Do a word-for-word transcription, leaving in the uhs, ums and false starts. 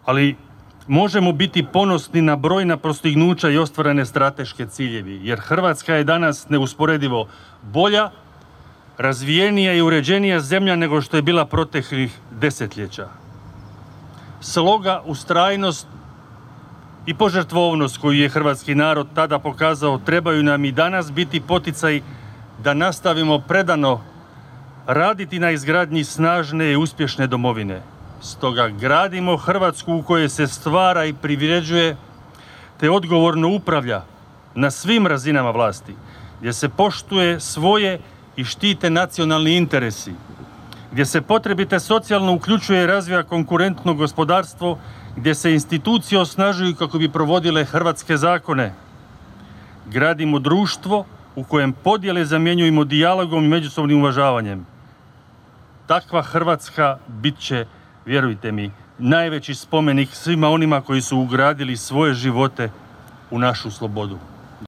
ali možemo biti ponosni na brojna postignuća i ostvarene strateške ciljevi, jer Hrvatska je danas neusporedivo bolja, razvijenija i uređenija zemlja nego što je bila proteklih desetljeća. Sloga, ustrajnost i požrtvovnost koju je hrvatski narod tada pokazao trebaju nam i danas biti poticaj da nastavimo predano raditi na izgradnji snažne i uspješne domovine. Stoga gradimo Hrvatsku u kojoj se stvara i privređuje te odgovorno upravlja na svim razinama vlasti, gdje se poštuje svoje i štite nacionalni interesi, gdje se potrebite socijalno uključuje i razvija konkurentno gospodarstvo, gdje se institucije osnažuju kako bi provodile hrvatske zakone. Gradimo društvo u kojem podjele zamjenjujemo dijalogom i međusobnim uvažavanjem. Takva Hrvatska bit će, vjerujte mi, najveći spomenik svima onima koji su ugradili svoje živote u našu slobodu.